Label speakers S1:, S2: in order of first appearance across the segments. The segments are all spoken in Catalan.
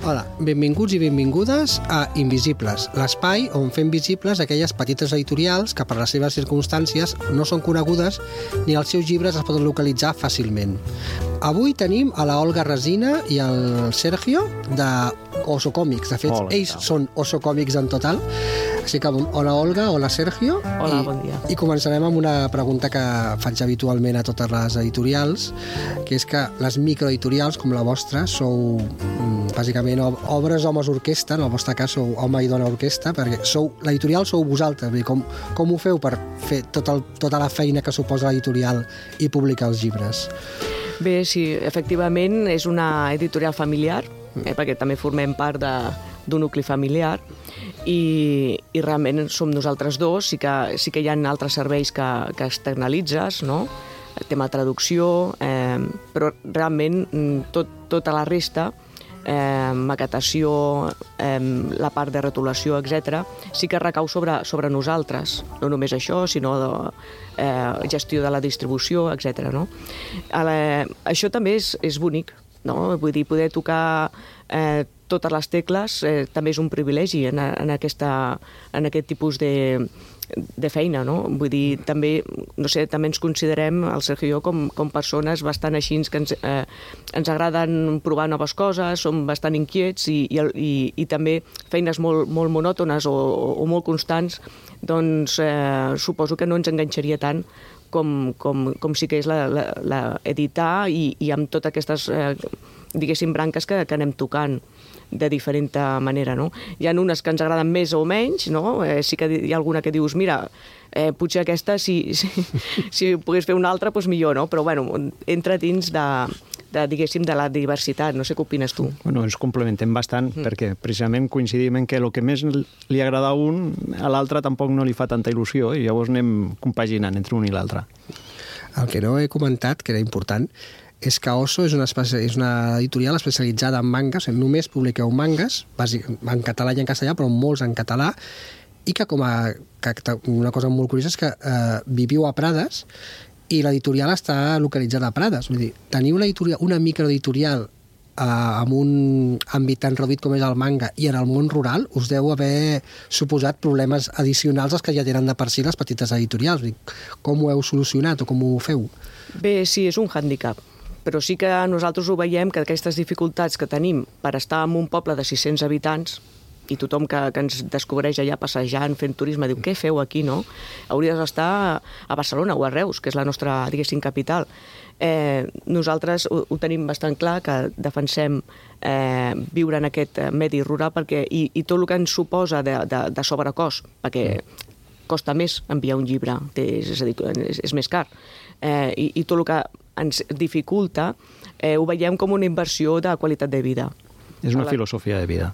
S1: Hola, benvinguts i benvingudes a Invisibles, l'espai on fem visibles aquelles petites editorials que per les seves circumstàncies no són conegudes ni els seus llibres es poden localitzar fàcilment. Avui tenim a la Olga Resina i el Sergio de Oso Còmics. De fet, ells són Oso Còmics en total. Així que, hola Olga, hola Sergio.
S2: Hola, bon dia.
S1: I començarem amb una pregunta que faig habitualment a totes les editorials, que és que les microeditorials com la vostra sou bàsicament obres homes orquestra, en el vostre cas sou home i dona orquestra, perquè l'editorial sou vosaltres. Com ho feu per fer tota la feina que suposa l'editorial i publicar els llibres?
S2: Bé, sí, efectivament és una editorial familiar, perquè també formem part d'un nucli familiar, i realment som nosaltres dos. Sí que hi ha altres serveis que externalitzes, no? El tema traducció, però realment tota la resta, maquetació, la part de retolació, etc., sí que recau sobre nosaltres. No només això, sinó gestió de la distribució, etc. No? Això també és bonic, no? Vull dir, poder tocar totes les tecles també és un privilegi en aquest tipus de feina, no? Vull dir, també, no sé, també ens considerem, el Sergio i jo, com persones bastant així, que ens agraden provar noves coses, som bastant inquiets i també feines molt monòtones o molt constants, doncs suposo que no ens enganxaria tant com sí que és l'editar i amb totes aquestes, diguéssim, branques que anem tocant de diferent manera, no? Hi ha unes que ens agraden més o menys, no? Sí que hi ha alguna que dius, mira, potser aquesta, si pogués fer una altra, doncs millor, no? Però, bueno, entra dins diguéssim, de la diversitat. No sé què opines tu.
S3: Bueno, ens complementem bastant, perquè precisament coincidim en que el que més li agrada a un, a l'altre tampoc no li fa tanta il·lusió, i llavors anem compaginant entre un i l'altre.
S1: El que no he comentat, que era important, és que Oso és una editorial especialitzada en mangas, només publiqueu mangas, en català i en castellà, però molts en català, i que una cosa molt curiosa és que viviu a Prades i l'editorial està localitzada a Prades. Vull dir, teniu una microeditorial amb un àmbit tan reduït com és el manga i en el món rural us deu haver suposat problemes addicionals als que ja tenen de per si les petites editorials. Com ho heu solucionat o com ho feu?
S2: Bé, sí, és un hàndicap, però sí que nosaltres ho veiem, que aquestes dificultats que tenim per estar en un poble de 600 habitants i tothom que ens descobreix allà passejant, fent turisme, diu, què feu aquí, no? Hauries d'estar a Barcelona o a Reus, que és la nostra, diguéssim, capital. Nosaltres ho tenim bastant clar, que defensem viure en aquest medi rural i tot el que ens suposa de sobrecost, perquè costa més enviar un llibre, és a dir, és més car, i tot el que ens dificulta, ho veiem com una inversió de qualitat de vida.
S3: És una filosofia de vida.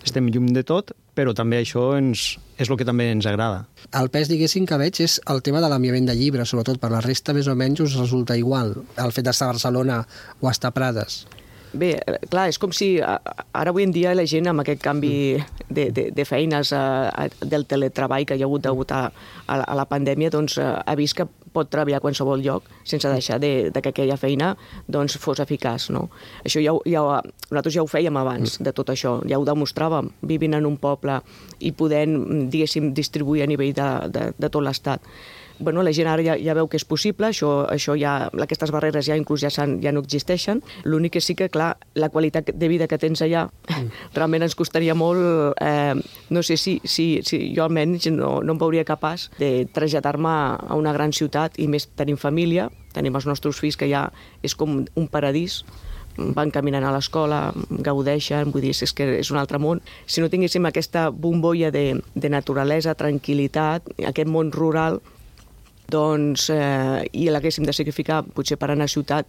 S3: Estem lluny de tot, però també això és el que també ens agrada.
S1: El pes, diguéssim, que veig és el tema de l'enviament de llibres, sobretot per la resta més o menys us resulta igual, el fet d'estar a Barcelona o estar a Prades.
S2: Bé, clar, és com si ara avui en dia la gent amb aquest canvi de feines del teletreball que hi ha hagut degut a la pandèmia, doncs ha vist que pot treballar a qualsevol lloc sense deixar que aquella feina doncs, fos eficaç, no? Això nosaltres ja ho fèiem abans de tot això, ja ho demostràvem vivint en un poble i podent, diguéssim, distribuir a nivell de tot l'estat. Bueno, la gent ara ja veu que és possible, això ja, aquestes barreres ja inclús ja no existeixen. L'únic que sí que, clar, la qualitat de vida que tens allà realment ens costaria molt, no sé si jo almenys no em veuria capaç de traslladar-me a una gran ciutat, i més tenim família, tenim els nostres fills que ja és com un paradís, van caminant a l'escola, gaudeixen, vull dir, és que és un altre món. Si no tinguéssim aquesta bombolla de naturalesa, tranquil·litat, aquest món rural, doncs, i l'haguéssim de sacrificar potser per anar a ciutat,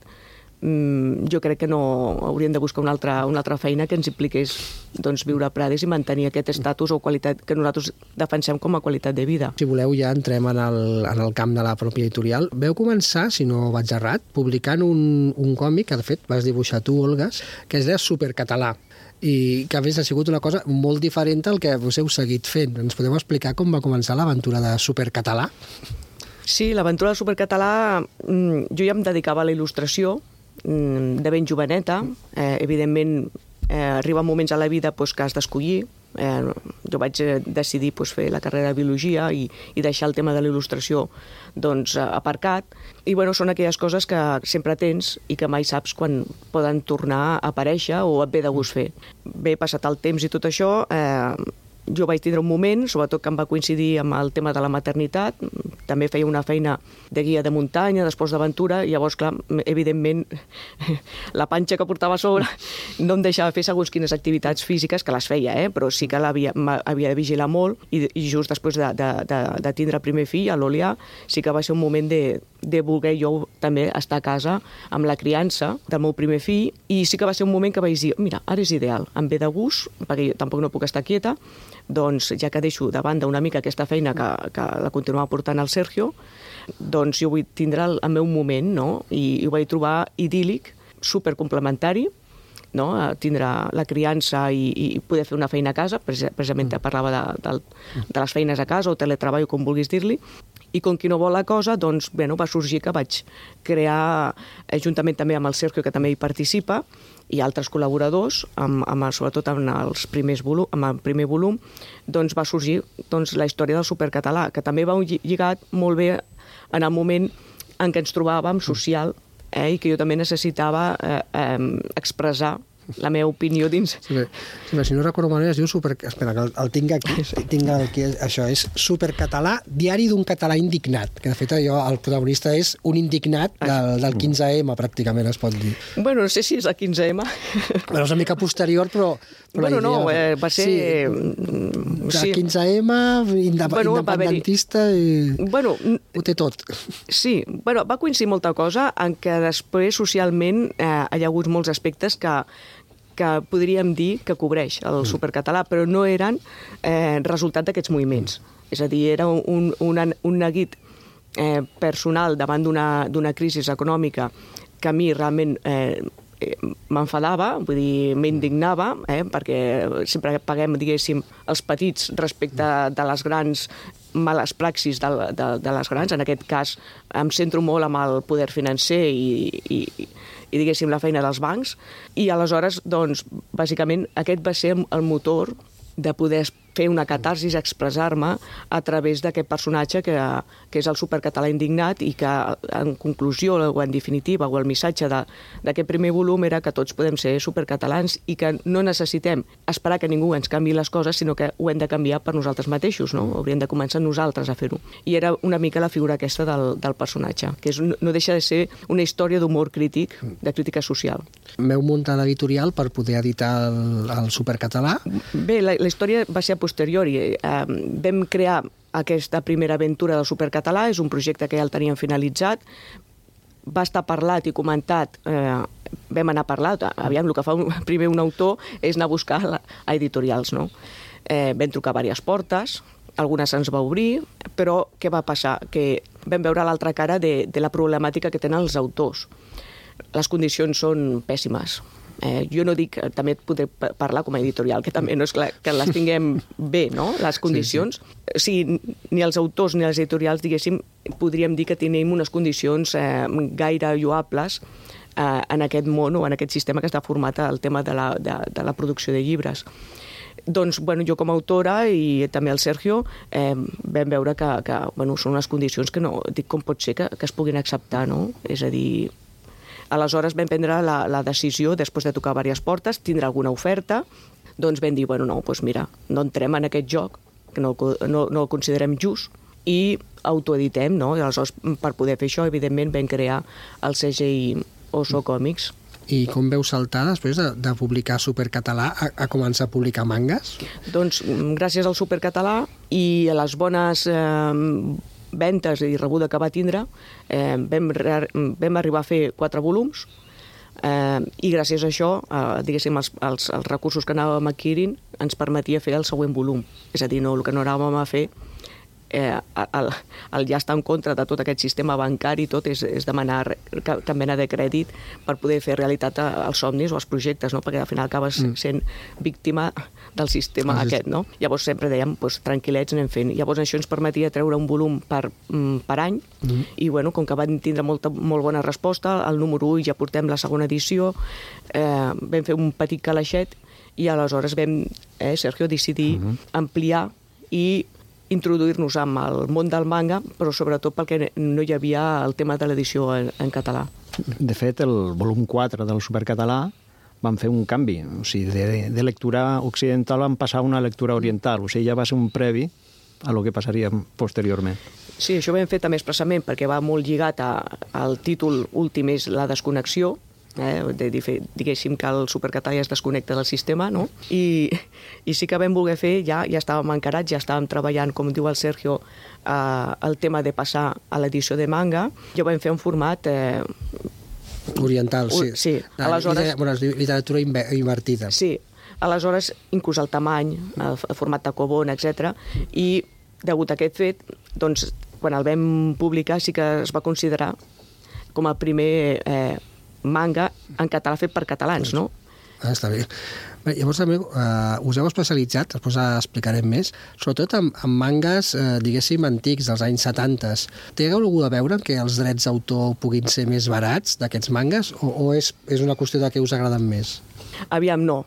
S2: jo crec que no hauríem de buscar una altra feina que ens impliqués doncs, viure a Prades i mantenir aquest estatus o qualitat que nosaltres defensem com a qualitat de vida.
S1: Si voleu ja entrem en el camp de la pròpia editorial. Veu començar, si no vaig errat, publicant un còmic que de fet vas dibuixar tu, Olga, que es deia Supercatalà, i que a més ha sigut una cosa molt diferent al que vos heu seguit fent. Ens podeu explicar com va començar l'aventura de Supercatalà?
S2: Sí, l'aventura del Supercatalà, jo ja em dedicava a la il·lustració de ben joveneta. Evidentment, arriben moments a la vida que has d'escollir. Jo vaig decidir fer la carrera de biologia i deixar el tema de la il·lustració aparcat. I són aquelles coses que sempre tens i que mai saps quan poden tornar a aparèixer o et ve de gust fer. Bé, passat el temps i tot això, jo vaig tindre un moment, sobretot que em va coincidir amb el tema de la maternitat. També feia una feina de guia de muntanya, d'esports d'aventura, i llavors, clar, evidentment, la panxa que portava a sobre no em deixava fer segons quines activitats físiques, que les feia, però sí que havia de vigilar molt, i just després de tindre el primer fill, a l'Olià, sí que va ser un moment de voler jo també estar a casa amb la criança del meu primer fill, i sí que va ser un moment que vaig dir, mira, ara és ideal, em ve de gust, perquè jo tampoc no puc estar quieta, doncs ja que deixo de banda una mica aquesta feina que la continuava portant el Sergio, doncs jo vull tindre el meu moment, no? I ho vaig trobar idíl·lic, supercomplementari, no? Tindre la criança i poder fer una feina a casa, precisament parlava de les feines a casa o teletreball, com vulguis dir-li, i com qui no vol la cosa, doncs, va sorgir que vaig crear, juntament també amb el Sergio, que també hi participa, i altres col·laboradors, sobretot amb el primer volum, doncs va sorgir la història del supercatalà, que també va lligat molt bé en el moment en què ens trobàvem social, i que jo també necessitava expressar la meva opinió dins.
S1: Sí, si no recordo malament, es diu Espera, que el tinc aquí. Això és Supercatalà, diari d'un català indignat, que de fet el protagonista és un indignat del 15M, pràcticament, es pot dir.
S2: Bueno, no sé si és el 15M.
S1: Bueno, és una mica posterior, però
S2: bueno, no, va ser...
S1: Sí, 15M, independentista, i ho té tot.
S2: Sí, va coincidir molta cosa en què després socialment hi ha hagut molts aspectes que podríem dir que cobreix el supercatalà, però no eren resultat d'aquests moviments. És a dir, era un neguit personal davant d'una crisi econòmica que a mi realment m'enfadava, vull dir, m'indignava, perquè sempre paguem, diguéssim, els petits respecte de les grans males praxis de les grans. En aquest cas em centro molt amb el poder financer i diguéssim, la feina dels bancs. I aleshores, doncs, bàsicament, aquest va ser el motor de poder fer una catarsis, expressar-me a través d'aquest personatge que és el supercatalà indignat i que, en conclusió o en definitiva, o el missatge d'aquest primer volum era que tots podem ser supercatalans i que no necessitem esperar que ningú ens canviï les coses, sinó que ho hem de canviar per nosaltres mateixos, no? Hauríem de començar nosaltres a fer-ho. I era una mica la figura aquesta del personatge, que no deixa de ser una història d'humor crític, de crítica social.
S1: M'heu muntat l'editorial per poder editar el supercatalà?
S2: Bé, la història va ser a posteriori. Vam crear aquesta primera aventura del supercatalà, és un projecte que ja el teníem finalitzat, va estar parlat i comentat, vam anar parlat, aviam, el que fa primer un autor és anar a buscar a editorials, no? Vam trucar a diverses portes, algunes se'ns va obrir, però què va passar? Que vam veure l'altra cara de la problemàtica que tenen els autors. Les condicions són pèssimes. Jo no dic, també et podré parlar com a editorial, que també no és clar que les tinguem bé, no?, les condicions. Sí. O sigui, ni els autors ni els editorials, diguéssim, podríem dir que tenim unes condicions gaire lloables en aquest món o en aquest sistema que està format al tema de la producció de llibres. Doncs, jo com a autora i també el Sergio vam veure que són unes condicions que no, dic, com pot ser que es puguin acceptar, no? És a dir... Aleshores vam prendre la decisió, després de tocar diverses portes, tindre alguna oferta, doncs vam dir, mira, no entrem en aquest joc, que no el considerem just, i autoeditem, no? I aleshores, per poder fer això, evidentment, vam crear el segell Oso Còmics.
S1: I com veu saltar, després de publicar Supercatalà, a començar a publicar mangas?
S2: Doncs gràcies al Supercatalà i a les bones ventes i rebuda que va tindre, vam arribar a fer 4 volums i gràcies a això, diguéssim, els recursos que anàvem adquirint ens permetia fer el següent volum. És a dir, el que no anàvem a fer el ja estar en contra de tot aquest sistema bancari i tot és demanar cap mena de crèdit per poder fer realitat els somnis o els projectes, no? Perquè al final acabes sent víctima del sistema aquest, no? Llavors sempre dèiem, tranquil·lets, anem fent. Llavors això ens permetia treure un volum per any i, bueno, com que van tindre molt bona resposta, el número 1 ja portem la segona edició, vam fer un petit calaixet i aleshores vam, Sergio, decidir ampliar i introduir-nos amb el món del manga, però sobretot perquè no hi havia el tema de l'edició en català.
S3: De fet, el volum 4 del Supercatalà van fer un canvi. O sigui, de lectura occidental van passar a una lectura oriental. O sigui, ja va ser un previ a lo que passaria posteriorment.
S2: Sí, això ho vam fer també expressament perquè va molt lligat al títol últim, és la desconnexió, diguéssim que el Supercatalà ja es desconnecta del sistema, no? I sí que vam voler fer, ja estàvem encarats, ja estàvem treballant, com diu el Sergio, el tema de passar a l'edició de manga, ja ho vam fer en format
S1: oriental, sí.
S2: Sí, aleshores...
S1: Es diu literatura invertida.
S2: Sí, aleshores, inclús el tamany, el format de Cobon, etc. I, degut a aquest fet, doncs, quan el vam publicar sí que es va considerar com el primer manga en català fet per catalans, no?
S1: Està bé. Llavors també us heu especialitzat, després explicarem més, sobretot en mangas, diguéssim, antics, dels anys 70. Té alguna a veure que els drets d'autor puguin ser més barats d'aquests mangas o és una qüestió de què us agraden més?
S2: Aviam, no.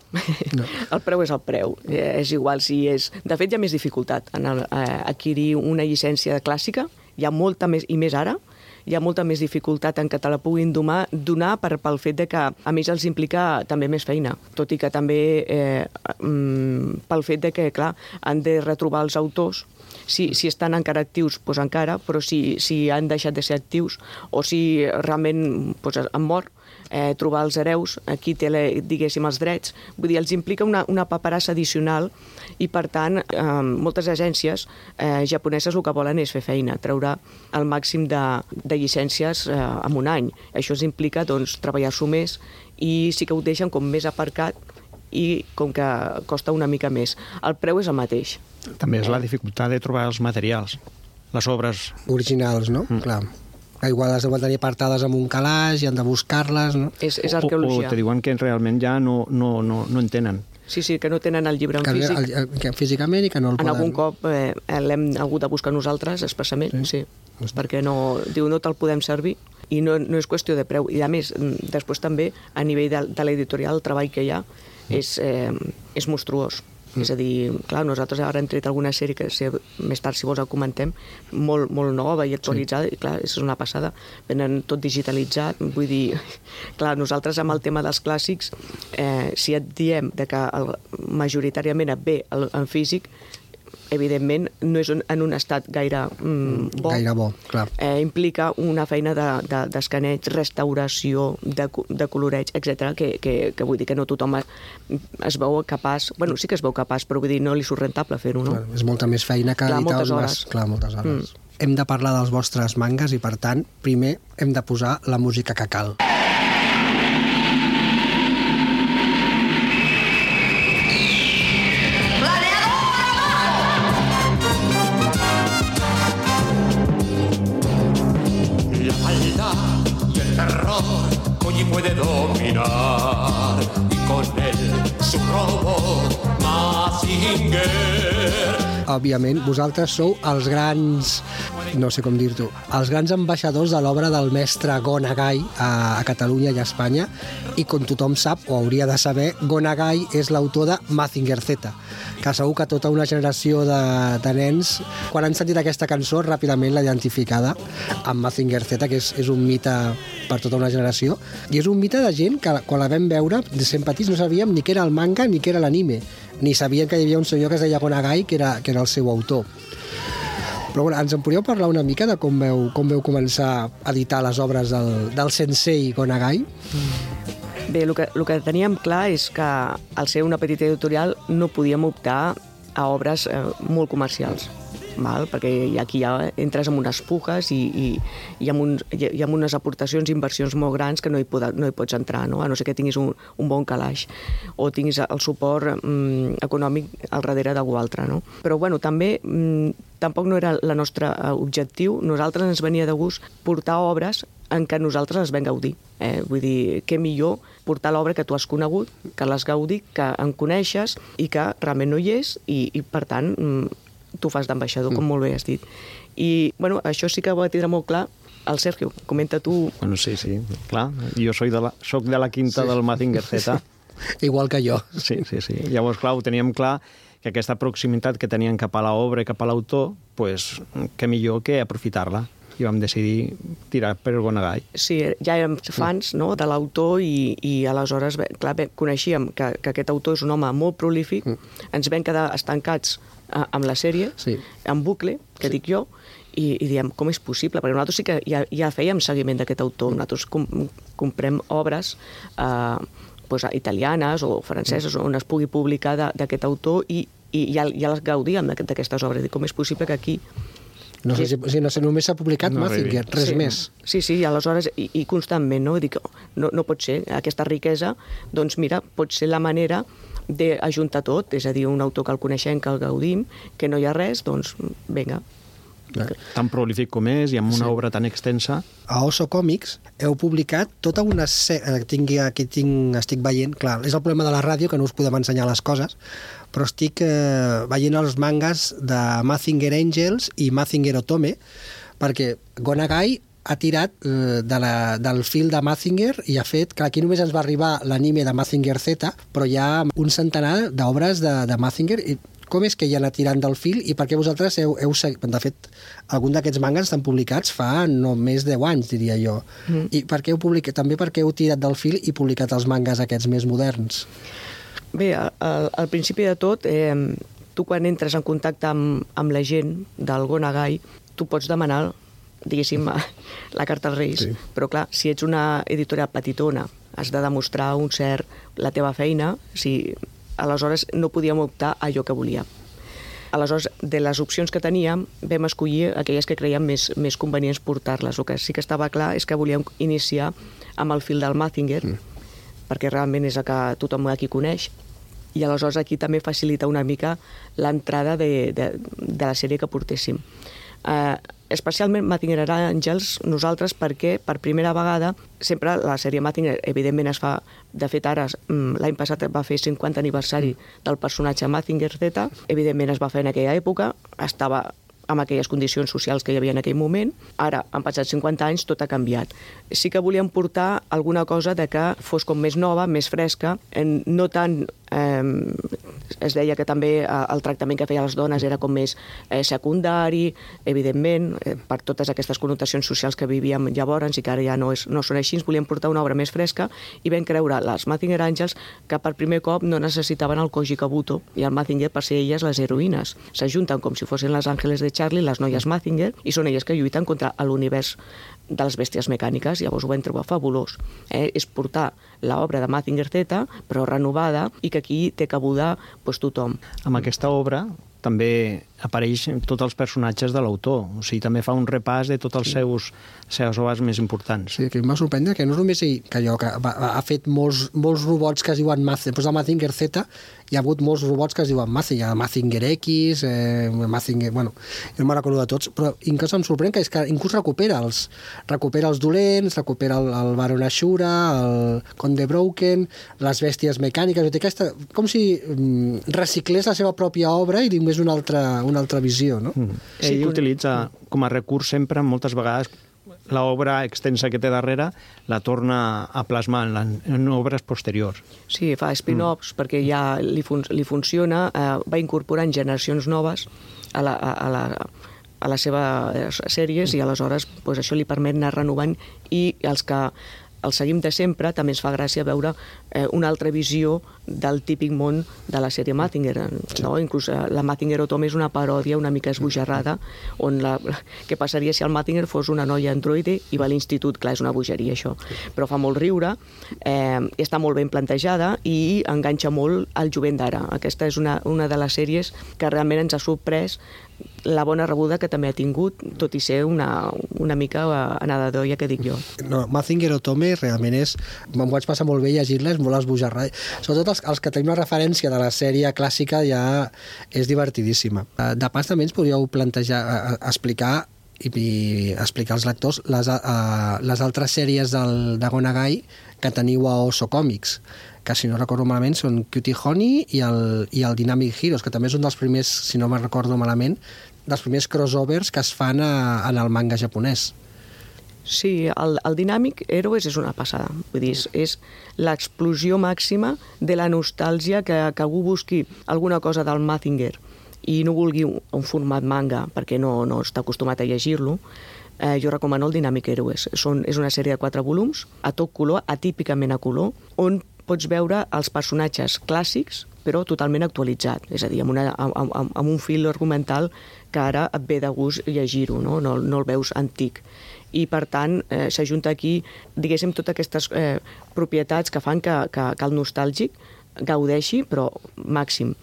S2: El preu és el preu. És igual si és... De fet, hi ha més dificultat en adquirir una llicència clàssica. Hi ha molta més, i més ara, hi ha molta més dificultat en que te la puguin donar pel fet de que, a més, els implica també més feina. Tot i que també pel fet de que, clar, han de retrobar els autors. Si estan encara actius, doncs encara, però si han deixat de ser actius o si realment han mort, trobar els hereus, qui té, diguéssim, els drets. Vull dir, els implica una paperassa addicional i, per tant, moltes agències japoneses el que volen és fer feina, treure el màxim de llicències en un any. Això els implica, doncs, treballar-s'ho més i sí que ho deixen com més aparcat i com que costa una mica més. El preu és el mateix.
S3: També és la dificultat de trobar els materials, les obres
S1: originals, no? Clar. Igual les deuen tenir apartades en un calaix i han de buscar-les, no?
S2: És arqueologia.
S3: O te diuen que realment ja no en tenen.
S2: Sí, que no tenen el llibre en físic.
S1: Físicament i que no el poden...
S2: En algun cop l'hem hagut de buscar nosaltres, expressament, sí. Perquè no te'l podem servir i no és qüestió de preu. I, a més, després també, a nivell de l'editorial, el treball que hi ha és monstruós. És a dir, clar, nosaltres ara hem tret alguna sèrie que més tard, si vols, el comentem, molt, molt nova i actualitzada, i clar, és una passada. Venen tot digitalitzat, vull dir, clar, nosaltres amb el tema dels clàssics, si et diem que majoritàriament et ve en físic, evidentment no és en un estat gaire bo.
S1: Gaire bo, clar.
S2: Implica una feina d'escaneig, restauració, de coloreig, etc. que vull dir que no tothom es veu capaç, bueno, sí que es veu capaç, però vull dir, no li surt rentable fer-ho, no?
S1: És molta més feina que editar
S2: moltes hores.
S1: Clar, moltes hores. Hem de parlar dels vostres mangas i, per tant, primer hem de posar la música que cal.
S4: Puede dominar y con él su robot Mazinger.
S1: Òbviament, vosaltres sou els grans, no sé com dir-t'ho, els grans ambaixadors de l'obra del mestre Go Nagai a Catalunya i a Espanya, i com tothom sap, o hauria de saber, Go Nagai és l'autor de Mazinger Z, que segur que tota una generació de nens, quan han sentit aquesta cançó, ràpidament l'ha identificada amb Mazinger Z, que és un mite per tota una generació, i és un mite de gent que quan la vam veure, de sent petits, no sabíem ni què era el manga ni què era l'anime, ni sabien que hi havia un senyor que es deia Go Nagai, que era el seu autor. Però bueno, ens en podríeu parlar una mica de com veu començar a editar les obres del sensei Go Nagai?
S2: Bé, el que teníem clar és que al ser una petita editorial no podíem optar a obres molt comercials. perquè aquí ja entres amb unes pujes i amb unes aportacions i inversions molt grans que no hi pots entrar, no? A no ser que tinguis un bon calaix o tinguis el suport econòmic al darrere d'algú altre, no? Però bueno, també tampoc no era el nostre objectiu. Nosaltres ens venia de gust portar obres en què nosaltres les vam gaudir. Vull dir, què millor portar l'obra que tu has conegut, que l'has gaudit, que en coneixes i que realment no hi és i per tant, tu fas d'ambaixador, com molt bé has dit. I, bueno, això sí que ho va tindre molt clar el Sergio. Comenta tu...
S3: Bueno, sí, clar. Jo soc de la quinta del Mazinger Z.
S1: Igual que jo.
S3: Sí. Llavors, clar, ho teníem clar que aquesta proximitat que tenien cap a l'obra i cap a l'autor, pues, què millor que aprofitar-la. I vam decidir tirar per Gonagai.
S2: Sí, ja érem fans, no?, de l'autor i aleshores, clar, coneixíem que aquest autor és un home molt prolífic, ens vam quedar estancats amb la sèrie, en bucle, que dic jo, i diem, com és possible? Perquè nosaltres sí que ja fèiem seguiment d'aquest autor. Nosaltres comprem obres italianes o franceses on es pugui publicar d'aquest autor i ja les gaudíem d'aquestes obres. Com és possible que aquí...
S1: No sé si només s'ha publicat Mazinger, res més.
S2: Sí, aleshores, i constantment, no? Dic, no pot ser aquesta riquesa, doncs mira, pot ser la manera d'ajuntar tot, és a dir, un autor que el coneixem, que el gaudim, que no hi ha res, doncs vinga.
S3: Tan prolífic com és i amb una obra tan extensa.
S1: A Oso Còmics heu publicat tota una sèrie... Aquí estic veient... Clar, és el problema de la ràdio, que no us podem ensenyar les coses, però estic veient els mangas de Mazinger Angels i Mazinger Otome, perquè Gonagai ha tirat del fil de Mazinger i ha fet... Clar, aquí només ens va arribar l'anime de Mazinger Z, però hi ha un centenar d'obres de Mazinger. I com és que ja anat tirant del fil i per què vosaltres heu de fet, algun d'aquests mangas estan publicats fa no més de 10 anys, diria jo. I per què heu publicat? També perquè heu tirat del fil i publicat els mangas aquests més moderns?
S2: Bé, al principi de tot, tu quan entres en contacte amb la gent del Gonagai, tu pots demanar, diguéssim, la carta als Reis, però clar, si ets una editorial petitona, has de demostrar la teva feina, aleshores no podíem optar a allò que volíem. Aleshores, de les opcions que teníem, vam escollir aquelles que creiem més convenients portar-les. El que sí que estava clar és que volíem iniciar amb el fil del Mazinger, perquè realment és el que tothom aquí coneix, i aleshores aquí també facilita una mica l'entrada de la sèrie que portéssim. Especialment Mazinger Angels, nosaltres, perquè per primera vegada, sempre la sèrie Mazinger, evidentment es fa, de fet ara l'any passat va fer 50 aniversari del personatge Mazinger Z, evidentment es va fer en aquella època, estava amb aquelles condicions socials que hi havia en aquell moment. Ara, han passat 50 anys, tot ha canviat. Sí que volíem portar alguna cosa de que fos com més nova, més fresca, no tant... Es deia que també el tractament que feia les dones era com més secundari, evidentment, per totes aquestes connotacions socials que vivíem llavors i que ara ja no són així. Volíem portar una obra més fresca i vam creure les Mazinger Angels que per primer cop no necessitaven el Koji Kabuto i el Mazinger per ser elles les heroïnes. S'ajunten com si fossin les àngeles de Charlie, les noies Mazinger, i són elles que lluiten contra l'univers de les bèsties mecàniques. Llavors ho vam trobar fabulós. És portar l'obra de Mazinger Z, però renovada, i que aquí té cabuda tothom.
S3: Amb aquesta obra també apareixen tots els personatges de l'autor, o sigui, també fa un repàs de tots els seus obres més importants.
S1: Sí, que em va sorprendre que no és només ell, que ha fet molts robots que es diuen Mazinger, després de Mazinger Z hi ha hagut molts robots que es diuen Mazinger, Mazinger X, Mazinger... Bueno, no me'n recordo de tots, però inclús em sorprèn que és que inclús recupera els dolents, recupera el Baron Ashura, el Conde Broken, les bèsties mecàniques, com si reciclés la seva pròpia obra i li donés una altra visió, no?
S3: Ell utilitza com a recurs sempre, moltes vegades, l'obra extensa que té darrere la torna a plasmar en obres posteriors.
S2: Sí, fa spin-offs perquè ja li funciona, va incorporant generacions noves a les seves sèries i aleshores això li permet anar renovant i els que el seguim de sempre, també ens fa gràcia veure una altra visió del típic món de la sèrie Mazinger. No? Inclús la Mazinger Otome és una paròdia una mica esbojarrada, on què passaria si el Mazinger fos una noia androide i va a l'institut. Clar, és una bogeria, això. Però fa molt riure, està molt ben plantejada i enganxa molt al jovent d'ara. Aquesta és una de les sèries que realment ens ha sorprès la bona rebuda que també ha tingut, tot i ser una mica anada d'olla, que dic jo.
S1: No, Mazinger Otome realment és... M'ho vaig passar molt bé llegir-la, és molt esbojarrada. Sobretot els que tenim la referència de la sèrie clàssica ja és divertidíssima. De pas també ens podríeu plantejar, explicar explicar als lectors les altres sèries de Gonagai que teniu a Oso Comics, que si no recordo malament són Cutie Honey i el Dynamic Heroes, que també és un dels primers, si no me'n recordo malament, dels primers crossovers que es fan en el manga japonès.
S2: Sí, el Dynamic Heroes és una passada. Vull dir, és l'explosió màxima de la nostàlgia que algú busqui alguna cosa del Mazinger i no vulgui un format manga perquè no està acostumat a llegir-lo. Jo recomano el Dynamic Heroes. És una sèrie de 4 volums, a tot color, atípicament a color, on pots veure els personatges clàssics, però totalment actualitzat. És a dir, amb un fil argumental que ara et ve de gust llegir-ho, no el veus antic. I, per tant, s'ajunta aquí, diguéssim, totes aquestes propietats que fan que el nostàlgic gaudeixi, però màxim.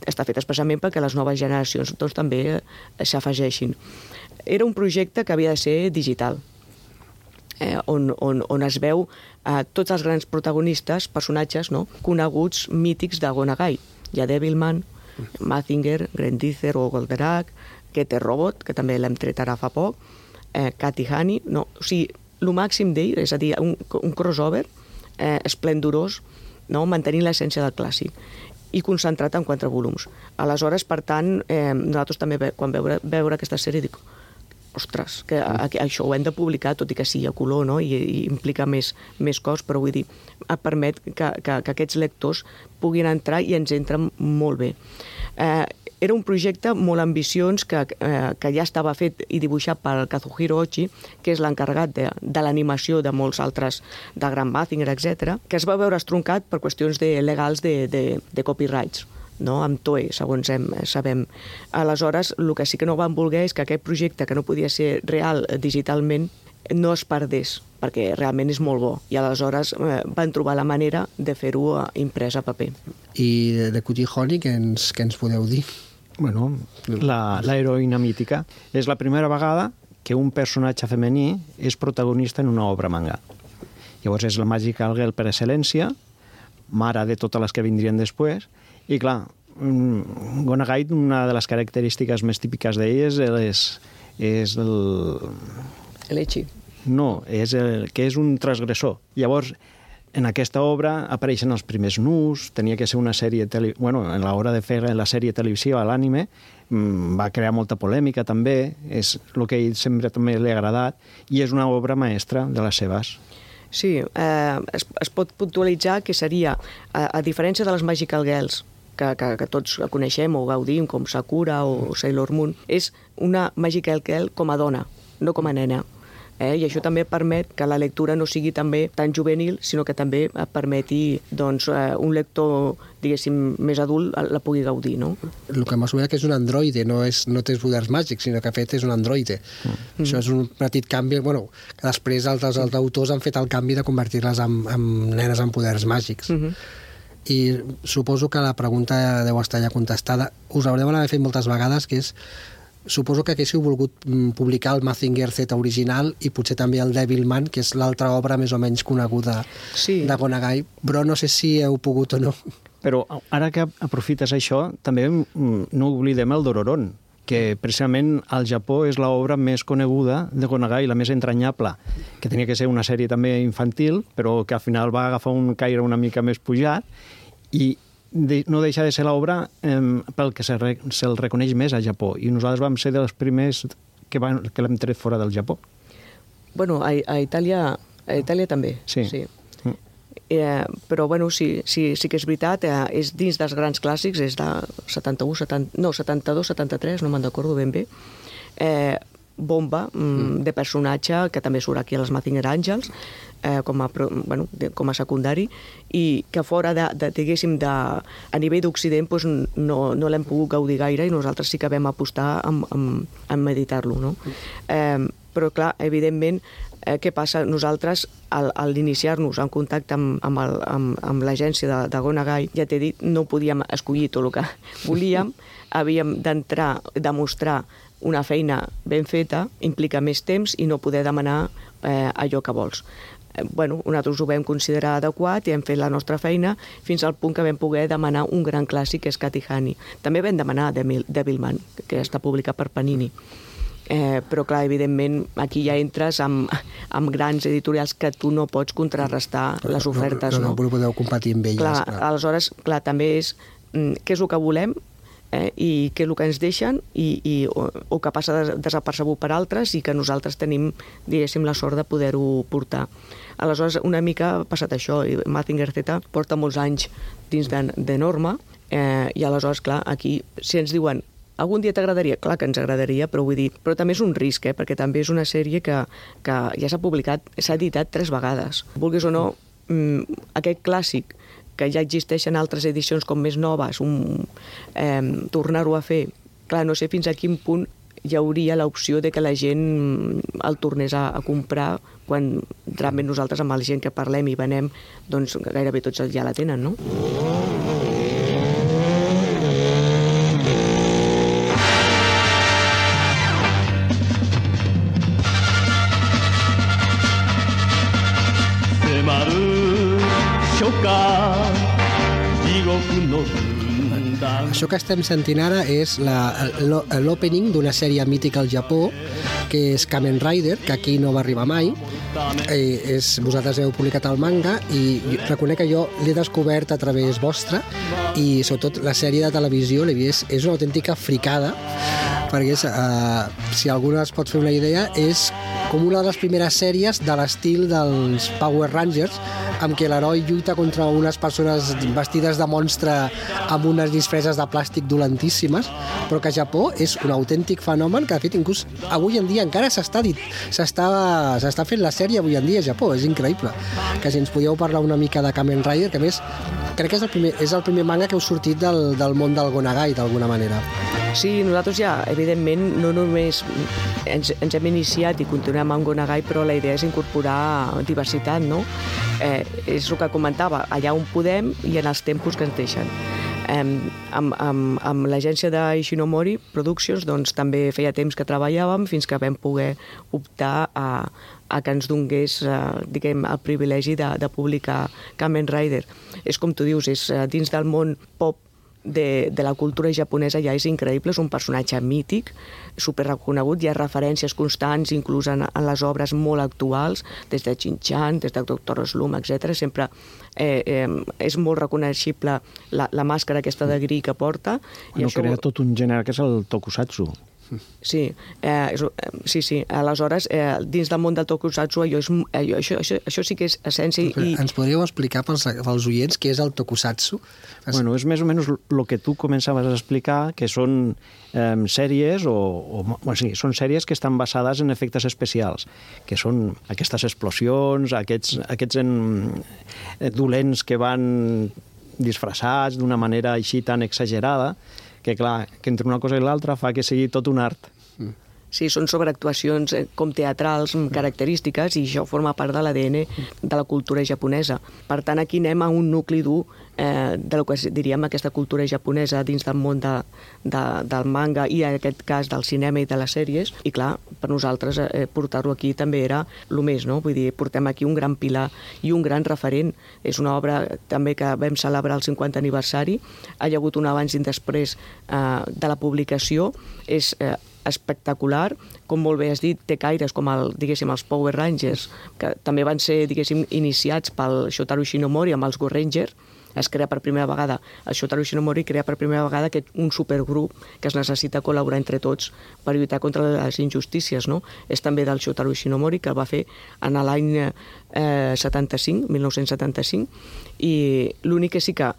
S2: Està fet especialment perquè les noves generacions doncs, també s'afegeixin. Era un projecte que havia de ser digital, on es veu tots els grans protagonistes, personatges coneguts, mítics de Gonagai. Hi ha Devilman, Mazinger, Grendizer o Goldorak, Getter Robot, que també l'hem tret ara fa poc, Cat i Honey, o sigui, el màxim d'ell, és a dir, un crossover esplendorós, mantenint l'essència del clàssic i concentrat en 4 volums. Aleshores, per tant, nosaltres també, quan veure aquesta sèrie, dic, ostres, que això ho hem de publicar, tot i que sigui a color, i implica més cost, però vull dir, et permet que aquests lectors puguin entrar i ens entren molt bé. Era un projecte molt ambiciós que ja estava fet i dibuixat per Kazuhiro Ochi, que és l'encarregat de l'animació de molts altres, de Grand Mazinger, etc., que es va veure estroncat per qüestions legals de copyrights, amb Toei, segons sabem. Aleshores, el que sí que no van voler és que aquest projecte, que no podia ser real digitalment, no es perdés, perquè realment és molt bo. I aleshores van trobar la manera de fer-ho imprès a paper.
S1: I de Cutie Honey, què ens podeu dir?
S3: Bueno, l'heroïna mítica. És la primera vegada que un personatge femení és protagonista en una obra manga. Llavors és la Magical Girl per excel·lència, mare de totes les que vindrien després, i clar, Gonagai, una de les característiques més típiques d'ell és
S2: l'Echi.
S3: No, que és un transgressor. Llavors, en aquesta obra apareixen els primers nus, tenia que ser una sèrie... a l'hora de fer la sèrie televisiva, l'ànime, va crear molta polèmica també, és el que a ell sempre també li ha agradat, i és una obra maestra de les seves.
S2: Sí, es pot puntualitzar que seria, a diferència de les Magical Girls, que tots coneixem o gaudim, com Sakura o Sailor Moon, és una Magical Girl com a dona, no com a nena. I això també permet que la lectura no sigui també tan juvenil, sinó que també permeti un lector, diguéssim, més adult la pugui gaudir, no?
S1: El que m'ha que és un androide, no té poders màgics, sinó que fet és un androide. Això és un petit canvi, que després altres autors han fet el canvi de convertir-les en nenes amb poders màgics. I suposo que la pregunta deu estar ja contestada. Us haureu d'haver fet moltes vegades, que és suposo que haguéssiu volgut publicar el Mazinger Z original i potser també el Devilman, que és l'altra obra més o menys coneguda de Gonagai, però no sé si heu pogut o no.
S3: Però ara que aprofites això, també no oblidem el Dororon, que precisament al Japó és l'obra més coneguda de Gonagai, la més entranyable, que tenia que ser una sèrie també infantil, però que al final va agafar un caire una mica més pujat, i no deixa de ser l'obra pel que se'l reconeix més a Japó, i nosaltres vam ser dels primers que l'hem tret fora del Japó.
S2: Bueno, a Itàlia també, sí. Però sí que és veritat, és dins dels grans clàssics, és de 72, 73, no me'n recordo ben bé, bomba de personatge que també surt aquí a les Mazinger Angels com a secundari, i que fora diguéssim a nivell d'Occident no l'hem pogut gaudir gaire, i nosaltres sí que vam apostar en meditar-lo, no? Però, clar, evidentment, què passa? Nosaltres, al iniciar-nos en contacte amb l'agència de Go Nagai, ja t'he dit, no podíem escollir tot el que volíem, havíem d'entrar, demostrar una feina ben feta, implica més temps i no poder demanar allò que vols. Nosaltres ho vam considerar adequat i hem fet la nostra feina fins al punt que vam poder demanar un gran clàssic, que és Cat i Honey. També vam demanar Devilman, que està publicat per Panini. Però, clar, evidentment, aquí ja entres amb grans editorials que tu no pots contrarrestar les ofertes.
S1: No podeu competir amb elles.
S2: Clar, aleshores, clar, també és què és el que volem i què és el que ens deixen o que passa desapercebut per altres i que nosaltres tenim, diguéssim, la sort de poder-ho portar. Aleshores, una mica ha passat això, i Mazinger Z porta molts anys dins de Norma, i aleshores, clar, aquí, si ens diuen algun dia t'agradaria? Clar que ens agradaria, però vull dir, però també és un risc, perquè també és una sèrie que ja s'ha publicat, s'ha editat 3 vegades. Vulguis o no, aquest clàssic que ja existeixen altres edicions com més noves, tornar-ho a fer, clar, no sé fins a quin punt hi hauria l'opció de que la gent el tornés a comprar quan realment nosaltres amb la gent que parlem i venem, doncs gairebé tots ja la tenen, no?
S1: Això que estem sentint ara és l'opening d'una sèrie mítica al Japó, que és Kamen Rider, que aquí no va arribar mai. Vosaltres heu publicat el manga i reconec que jo l'he descobert a través vostra i sobretot la sèrie de televisió l'he vist, és una autèntica fricada, perquè si algú es pot fer una idea, és com una de les primeres sèries de l'estil dels Power Rangers, amb què l'heroi lluita contra unes persones vestides de monstre amb unes disfresses de plàstic dolentíssimes, però que a Japó és un autèntic fenomen que, de fet, inclús avui en dia encara s'està fent la sèrie avui en dia a Japó, és increïble. Que si ens podíeu parlar una mica de Kamen Rider, que a més crec que és el primer manga que heu sortit del món del Go Nagai, d'alguna manera.
S2: Sí, nosaltres ja, evidentment, no només ens hem iniciat i continuem amb Go Nagai, però la idea és incorporar diversitat, no? És el que comentava, allà on podem i en els tempos que ens deixen. Amb l'agència d'Ishinomori Productions doncs, també feia temps que treballàvem fins que vam poder optar a que ens donés diguem, el privilegi de publicar Kamen Rider. És com tu dius, és dins del món pop de la cultura japonesa ja és increïble, és un personatge mític, superreconegut, hi ha referències constants inclús en les obres molt actuals, des de Shin-chan, des de Dr. Slump, etc. Sempre és molt reconeixible la màscara aquesta de gris que porta.
S3: No crea tot un gènere que és el tokusatsu.
S2: Sí, sí. Aleshores, dins del món del tokusatsu, això sí que és essència.
S1: Ens podríeu explicar pels oients què és el tokusatsu?
S3: Bueno, és més o menys el que tu començaves a explicar, que són sèries són sèries que estan basades en efectes especials, que són aquestes explosions, aquests dolents que van disfressats d'una manera així tan exagerada, que clar, que entre una cosa i l'altra fa que sigui tot un art.
S2: Sí, són sobreactuacions com teatrals característiques i això forma part de l'ADN de la cultura japonesa. Per tant, aquí anem a un nucli dur del que diríem aquesta cultura japonesa dins del món del manga i en aquest cas del cinema i de les sèries. I clar, per nosaltres portar-lo aquí també era el més, no? Vull dir, portem aquí un gran pilar i un gran referent. És una obra també que vam celebrar el 50 aniversari. Ha hagut un abans i un després de la publicació. És espectacular, com molt bé has dit, té caires com els Power Rangers, que també van ser, iniciats pel Shotaro Shinomori amb els Go Rangers. Es crea per primera vegada, el Shotaro Shinomori crea per primera vegada un supergrup que es necessita col·laborar entre tots per lluitar contra les injustícies, no? És també del Shotaro Shinomori, que el va fer en l'any 1975, i l'únic que sí que,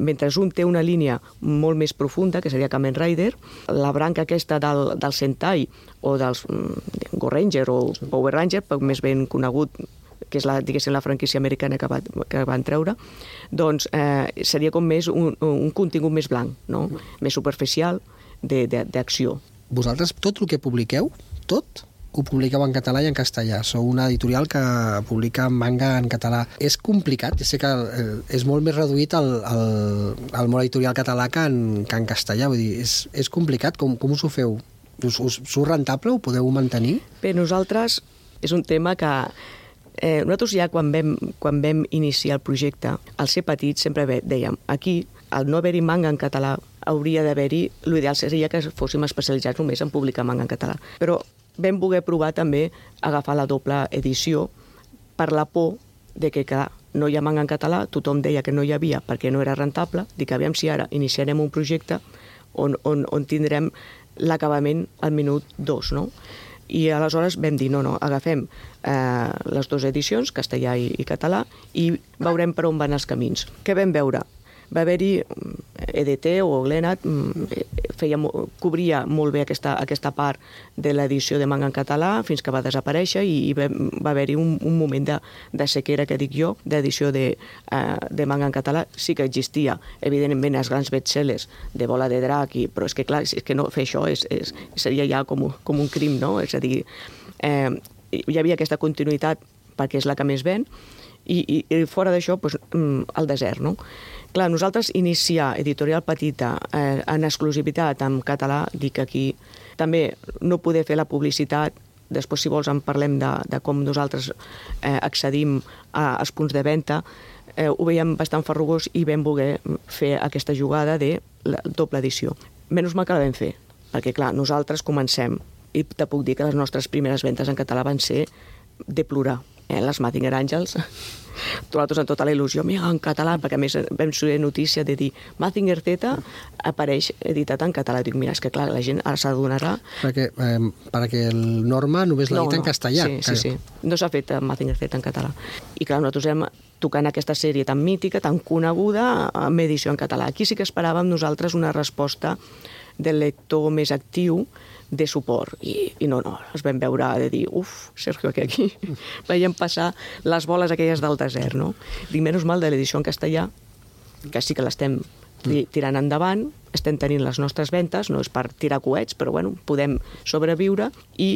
S2: mentre un té una línia molt més profunda, que seria Kamen Rider, la branca aquesta del Sentai o dels Go Ranger o Power Ranger, més ben conegut, que és la franquícia americana que van treure, doncs seria com més un contingut més blanc, no? Més superficial d'acció.
S1: Vosaltres, tot el que publiqueu, tot, ho publiqueu en català i en castellà. Sou una editorial que publica manga en català. És complicat, sé que és molt més reduït el món editorial català que en castellà. Vull dir, és complicat, com us ho feu? Us surt rentable? Ho podeu mantenir?
S2: Per nosaltres és un tema que nosaltres ja quan vam iniciar el projecte, al ser petits sempre dèiem, aquí, al no haver-hi manga en català, hauria d'haver-hi, l'ideal seria que fóssim especialitzats només en publicar manga en català. Però vam voler provar també agafar la doble edició per la por de que, clar, no hi ha manga en català, tothom deia que no hi havia perquè no era rentable, dic, aviam si ara iniciarem un projecte on tindrem l'acabament al minut 2, no? I aleshores vam dir, no, agafem les dues edicions, castellà i català, i veurem per on van els camins. Què vam veure? Va haver-hi EDT o Glenat, cobria molt bé aquesta part de l'edició de manga en català fins que va desaparèixer i va haver-hi un moment de sequera, que dic jo, d'edició de manga en català. Sí que existia, evidentment, els grans bestsellers de Bola de Drac, però és que, clar, és que no fer això seria ja com un crim, no? És a dir, hi havia aquesta continuïtat perquè és la que més ven, i fora d'això, el desert, no? Clar, nosaltres iniciar editorial petita en exclusivitat en català, dic aquí, també no poder fer la publicitat, després si vols en parlem de com nosaltres accedim als punts de venda, ho veiem bastant farrugós i vam voler fer aquesta jugada de la doble edició. Menys mal que la vam fer, perquè clar, nosaltres comencem, i te puc dir que les nostres primeres ventes en català van ser de plorar. Les Mazinger Àngels, nosaltres amb tota la il·lusió, mira, en català, perquè a més vam ser notícia de dir Mazinger Z apareix editat en català. Dic, mira, és que clar, la gent ara s'adonarà...
S1: Perquè el Norma només l'ha dit en castellà.
S2: Sí. No s'ha fet Mazinger Z en català. I clar, nosaltres hem tocant aquesta sèrie tan mítica, tan coneguda, amb edició en català. Aquí sí que esperàvem nosaltres una resposta del lector més actiu, de suport, i no, es vam veure de dir, Sergio, que aquí veiem passar les boles aquelles del desert, no? Dic, menys mal de l'edició en castellà, que sí que l'estem tirant endavant, estem tenint les nostres ventes, no és per tirar coets, però bueno, podem sobreviure, i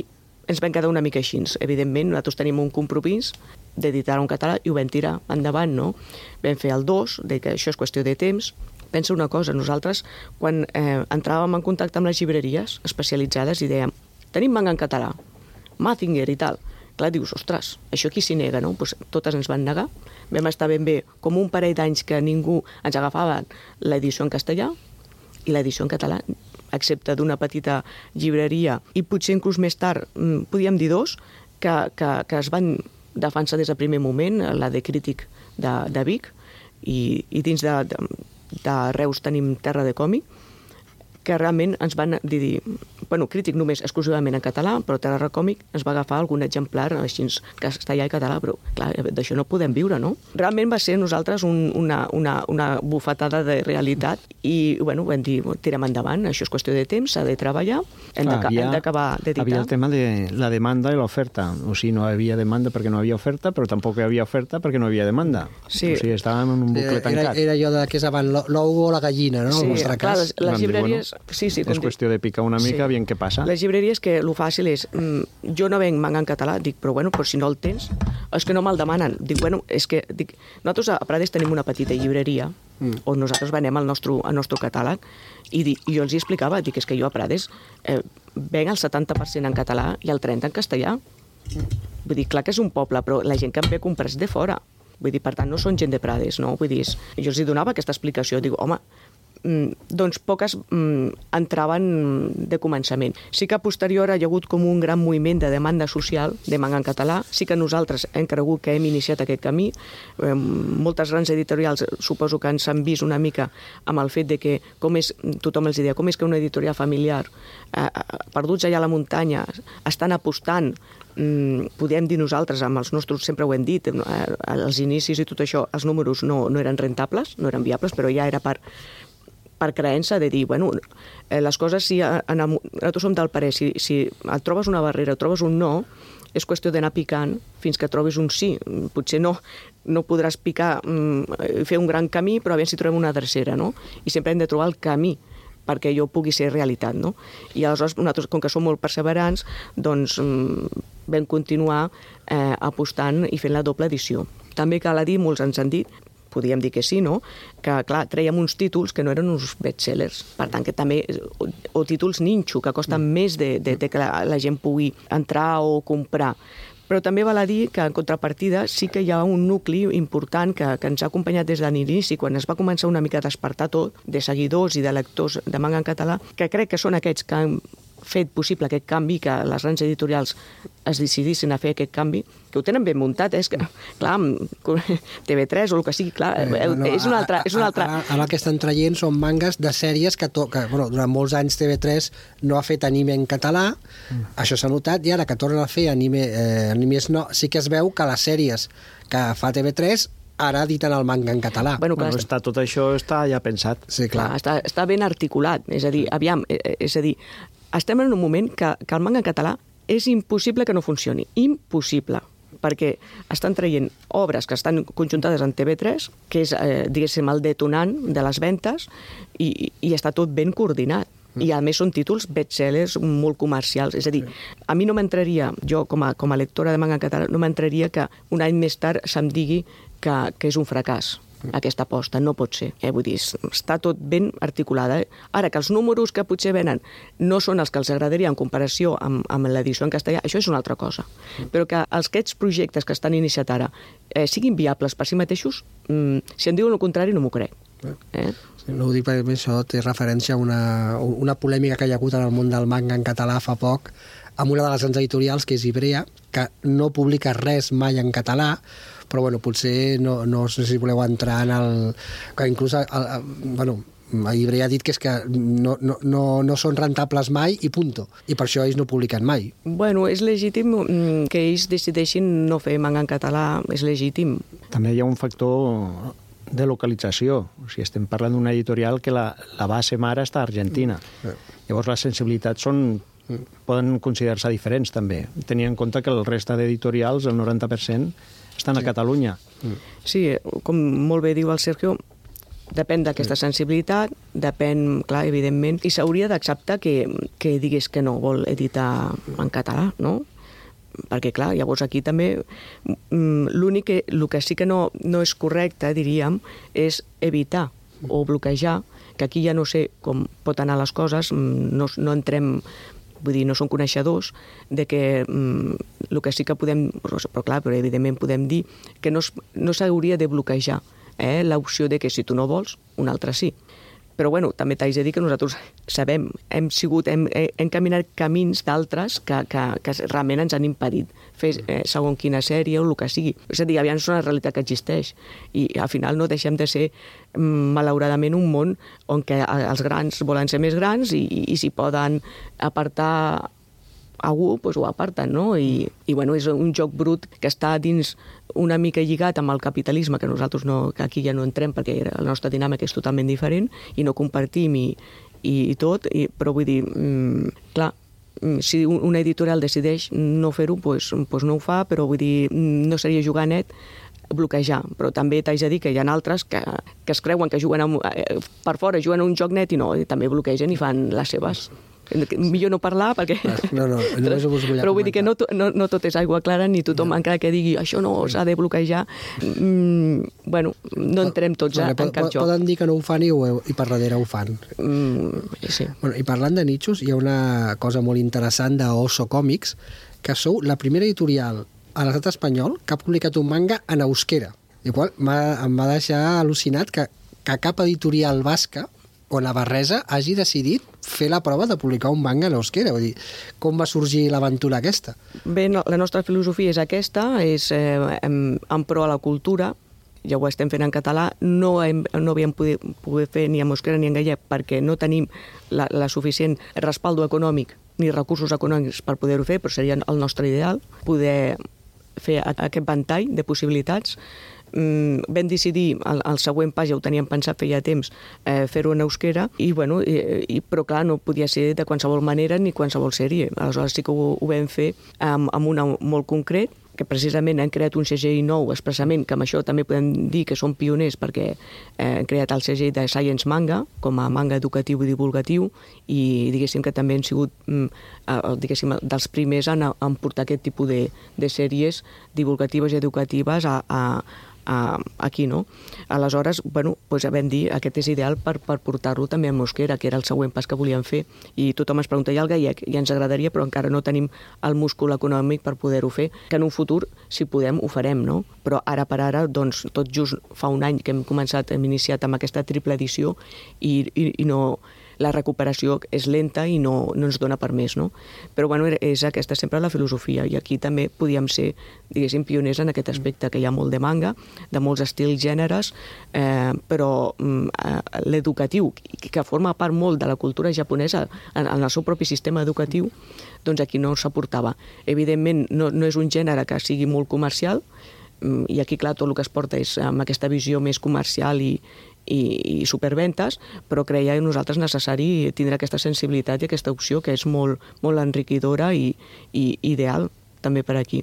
S2: ens vam quedar una mica així. Evidentment, nosaltres tenim un compromís d'editar-ho en català i ho vam tirar endavant, no? Vam fer el 2, que això és qüestió de temps. Pensa una cosa, nosaltres, quan entràvem en contacte amb les llibreries especialitzades i dèiem, tenim manga en català, Mazinger i tal. Clar, dius, ostres, això qui s'hi nega, no? Pues totes ens van negar. Vam estar ben bé com un parell d'anys que ningú ens agafava l'edició en castellà i l'edició en català, excepte d'una petita llibreria, i potser inclús més tard, podíem dir dos, que es van defensar des del primer moment, la de Crític de Vic, i dins de Reus tenim Terra de Còmic, que realment ens van dir, bueno, Crític només exclusivament en català, però Terra de Còmic ens va agafar algun exemplar així castellà i català, però clar, d'això no podem viure, no? Realment va ser nosaltres una bufetada de realitat i, bueno, vam dir, tirem endavant, això és qüestió de temps, s'ha de treballar, hem d'acabar d'editar.
S3: Havia el tema de la demanda i l'oferta, o sigui, no hi havia demanda perquè no hi havia oferta, però tampoc hi havia oferta perquè no hi havia demanda.
S2: Sí.
S3: O sigui, estàvem en un bucle tancat.
S1: Era allò de que és abans l'ou o la gallina, no?
S2: Sí, clar, les llibreries... Sí,
S3: és qüestió de picar una mica, aviam què passa.
S2: Les llibreries que el fàcil és, jo no venc manga en català, dic, però bueno, però si no el tens, és que no me'l demanen. Dic, bueno, és que nosaltres a Prades tenim una petita llibreria on nosaltres venem el nostre catàleg i jo els explicava, dic, és que jo a Prades venc el 70% en català i el 30% en castellà. Vull dir, clar que és un poble, però la gent que em ve comprats de fora. Vull dir, per tant, no són gent de Prades, no? Vull dir, jo els donava aquesta explicació, dic, home, doncs poques entraven de començament. Sí que a posterior hi ha hagut com un gran moviment de demanda social de manga en català. Sí que nosaltres hem cregut que hem iniciat aquest camí. Moltes grans editorials suposo que ens han vist una mica amb el fet de que tothom els deia, com és que una editorial familiar perduts allà a la muntanya estan apostant, podem dir nosaltres, amb els nostres, sempre ho hem dit, als inicis i tot això, els números no eren rentables, no eren viables, però ja era per creença de dir, bueno, les coses, nosaltres som del parer, si et trobes una barrera, trobes un no, és qüestió d'anar picant fins que trobis un sí. Potser no podràs picar, fer un gran camí, però aviam si trobem una tercera, no? I sempre hem de trobar el camí perquè allò pugui ser realitat, no? I aleshores nosaltres, com que som molt perseverants, doncs vam continuar apostant i fent la doble edició. També cal dir, molts ens han dit, podríem dir que sí, no? Que, clar, trèiem uns títols que no eren uns bestsellers, per tant, que també, o títols ninxo, que costen més de que la gent pugui entrar o comprar. Però també val a dir que, en contrapartida, sí que hi ha un nucli important que ens ha acompanyat des de l'inici, quan es va començar una mica a despertar tot, de seguidors i de lectors de manga en català, que crec que són aquests que han fet possible aquest canvi, que les grans editorials es decidissin a fer aquest canvi, que ho tenen ben muntat, és que, clar, TV3 o el que sigui, clar, és una altra...
S1: Ara el que estan traient són mangas de sèries que durant molts anys TV3 no ha fet anime en català, això s'ha notat, i ara que tornen a fer animes no, sí que es veu que les sèries que fa TV3 ara editen el manga en català.
S3: Bueno, tot això està ja pensat.
S1: Sí, clar.
S2: Està ben articulat, és a dir, estem en un moment que el manga en català és impossible que no funcioni. Impossible. Perquè estan traient obres que estan conjuntades en TV3, que és, diguéssim, el detonant de les ventes, i està tot ben coordinat. I, a més, són títols bestsellers molt comercials. És a dir, a mi no m'entraria, jo com a lectora de manga en català, no m'entraria que un any més tard se'm digui que és un fracàs aquesta aposta, no pot ser. Vull dir, està tot ben articulada. Ara, que els números que potser venen no són els que els agradaria en comparació amb l'edició en castellà, això és una altra cosa. Però que aquests projectes que estan iniciats ara siguin viables per si mateixos, si em diuen el contrari no m'ho crec.
S1: No ho dic perquè això té referència a una polèmica que hi ha hagut en el món del manga en català fa poc, amb una de les grans editorials, que és Ibrea, que no publica res mai en català, però bueno, potser no sé si voleu entrar en el... que inclús Ibrea ha dit que és que no són rentables mai i punto, i per això ells no publiquen mai.
S2: Bueno, és legítim que ells decideixin no fer manga en català, és legítim.
S3: També hi ha un factor de localització. O sigui, estem parlant d'una editorial que la base mare està a Argentina. Llavors les sensibilitats poden considerar-se diferents també, tenint en compte que el resta d'editorials, el 90%, estan a Catalunya.
S2: Sí, com molt bé diu el Sergio, depèn d'aquesta sensibilitat, depèn, clar, evidentment, i s'hauria d'acceptar que digués que no vol editar en català, no? Perquè, clar, llavors aquí també el que sí que no és correcte, diríem, és evitar o bloquejar, que aquí ja no sé com pot anar les coses, no entrem, vull dir, no som coneixedors de que el que sí que podem, però evidentment podem dir que no s'hauria de bloquejar l'opció de que si tu no vols, un altre sí. Però bueno, també t'haig de dir que nosaltres sabem, hem caminat camins d'altres que realment ens han impedit fer segons quina sèrie o el que sigui. És a dir, aviam, és una realitat que existeix i al final no deixem de ser, malauradament, un món on que els grans volen ser més grans i si poden apartar algú, doncs ho aparten, no? I bueno, és un joc brut que està dins una mica lligat amb el capitalisme, que nosaltres que aquí ja no entrem perquè la nostra dinàmica és totalment diferent i no compartim i tot, però vull dir, clar, si una editorial decideix no fer-ho, doncs no ho fa, però vull dir, no seria jugar net bloquejar, però també t'haig de dir que hi ha altres que es creuen que juguen per fora, juguen a un joc net i no, també bloquegen i fan les seves. Millor no parlar perquè...
S1: No, només ho vull comentar.
S2: Però vull dir que no tot és aigua clara, ni tothom encara que digui això no s'ha de bloquejar, bueno, no entrem tots en cap joc.
S1: Poden dir que no ho fan i per darrere ho fan.
S2: Sí.
S1: Bueno, i parlant de nichos, hi ha una cosa molt interessant d'Oso Còmics, que sou la primera editorial a l'estat espanyol que ha publicat un manga en euskera. Igual em va deixar al·lucinat que cap editorial basca o navarresa hagi decidit fer la prova de publicar un manga en euskera. Vull dir, com va sorgir l'aventura aquesta?
S2: Bé, la nostra filosofia és aquesta, és en pro a la cultura, ja ho estem fent en català, no havíem poder fer ni en euskera ni en gallec perquè no tenim la suficient respaldo econòmic ni recursos econòmics per poder-ho fer, però seria el nostre ideal, poder fer aquest ventall de possibilitats. Vam decidir, el següent pas ja ho teníem pensat feia temps, fer-ho en euskera, però clar, no podia ser de qualsevol manera ni qualsevol sèrie. Aleshores sí que ho vam fer amb una molt concret, perquè precisament han creat un segell nou expressament, que amb això també podem dir que són pioners perquè han creat el segell de Science Manga com a manga educatiu i divulgatiu, i diguéssim que també han sigut diguéssim, dels primers en portar aquest tipus de sèries divulgatives i educatives aquí, no? Aleshores, bueno, doncs vam dir aquest és ideal per portar-lo també en euskera, que era el següent pas que volíem fer, i tothom ens pregunta, i el gallec? I ens agradaria, però encara no tenim el múscul econòmic per poder-ho fer, que en un futur, si podem, ho farem, no? Però ara per ara, doncs, tot just fa un any que hem iniciat amb aquesta triple edició i no... la recuperació és lenta i no ens dona per més, no? Però bueno, és aquesta sempre la filosofia, i aquí també podíem ser, diguéssim, pioners en aquest aspecte, que hi ha molt de manga, de molts estils, gèneres, però l'educatiu, que forma part molt de la cultura japonesa en el seu propi sistema educatiu, doncs aquí no s'aportava. Evidentment, no és un gènere que sigui molt comercial, i aquí, clar, tot el que es porta és amb aquesta visió més comercial i superventes, però creia nosaltres necessari tindre aquesta sensibilitat i aquesta opció que és molt, molt enriquidora i ideal també per aquí.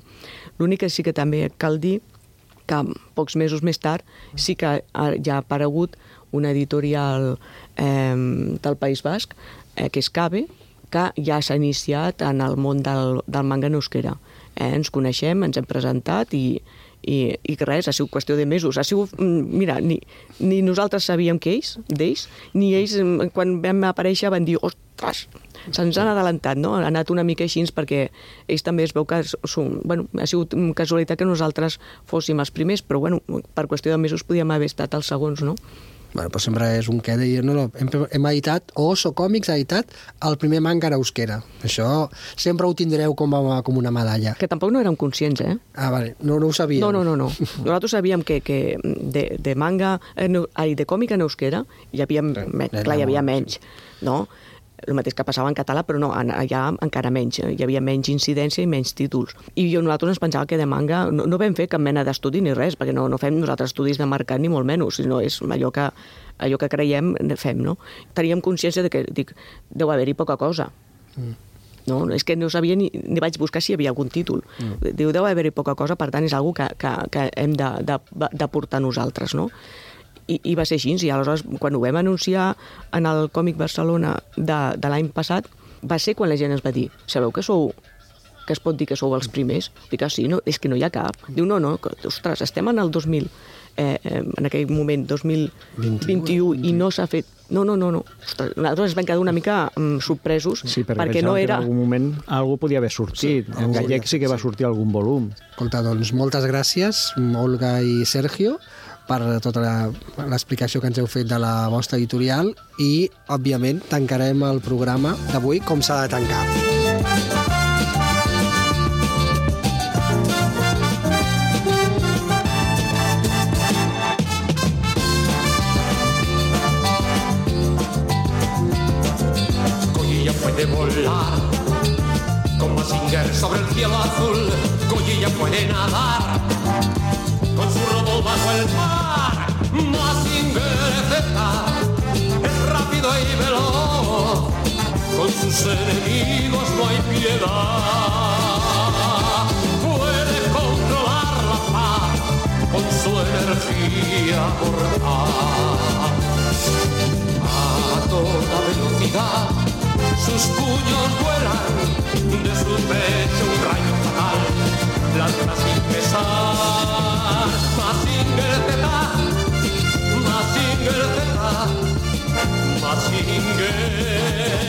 S2: L'únic que sí que també cal dir que pocs mesos més tard sí que ja ha aparegut una editorial del País Basc, que és CABE, que ja s'ha iniciat en el món del manga en euskera. Ens coneixem, ens hem presentat i res, ha sigut qüestió de mesos. Ha sigut, mira, ni nosaltres sabíem d'ells, ni ells, quan vam aparèixer, van dir, ostres, se'ns han adelantat, no? Ha anat una mica així perquè ells també es veu que bueno, ha sigut casualitat que nosaltres fóssim els primers, però bueno, per qüestió de mesos podíem haver estat els segons, no?
S1: Bueno, però sempre és un què de dir, no, hem editat, Oso Còmics ha editat el primer manga en euskera. Això sempre ho tindreu com una medalla.
S2: Que tampoc no érem conscients, eh?
S1: Ah, vale, no ho sabíem.
S2: No. Nosaltres sabíem que de manga, de còmic en euskera hi havia menys, no? El mateix que passava en català, però no, allà encara menys. Hi havia menys incidència i menys títols. I nosaltres ens pensàvem que de manga no vam fer cap mena d'estudi ni res, perquè no fem nosaltres estudis de mercat ni molt menys, sinó és allò que creiem, fem, no? Teníem consciència de que, deu haver-hi poca cosa. No, és que no sabia ni vaig buscar si hi havia algun títol. Diu, deu haver-hi poca cosa, per tant és una cosa que hem d'aportar nosaltres, no? I va ser així, i aleshores quan ho vam anunciar en el Còmic Barcelona de l'any passat, va ser quan la gent ens va dir, sabeu que es pot dir que sou els primers? Dic, sí, no, és que no hi ha cap. Diu, no, ostres, estem en el 2000, en aquell moment, 2021, i no s'ha fet... No. Ostres, nosaltres ens vam quedar una mica sorpresos,
S3: sí, perquè no era... en algun moment algú podia haver sortit. En gallec sí que va sortir algun volum.
S1: Escolta, doncs moltes gràcies, Olga i Sergio, per tota l'explicació que ens heu fet de la vostra editorial, i, òbviament, tancarem el programa d'avui com s'ha de tancar.
S4: Collilla puede volar con Mazinger sobre el cielo azul. Collilla puede nadar con su robo bajo el mar. Mazinger Z es rápido y veloz, con sus enemigos no hay piedad. Puede controlar la paz con su energía mortal. A toda velocidad sus puños vuelan, de su pecho un rayo fatal lanza sin cesar. Mazinger Z, Mazinger Z, Mazinger.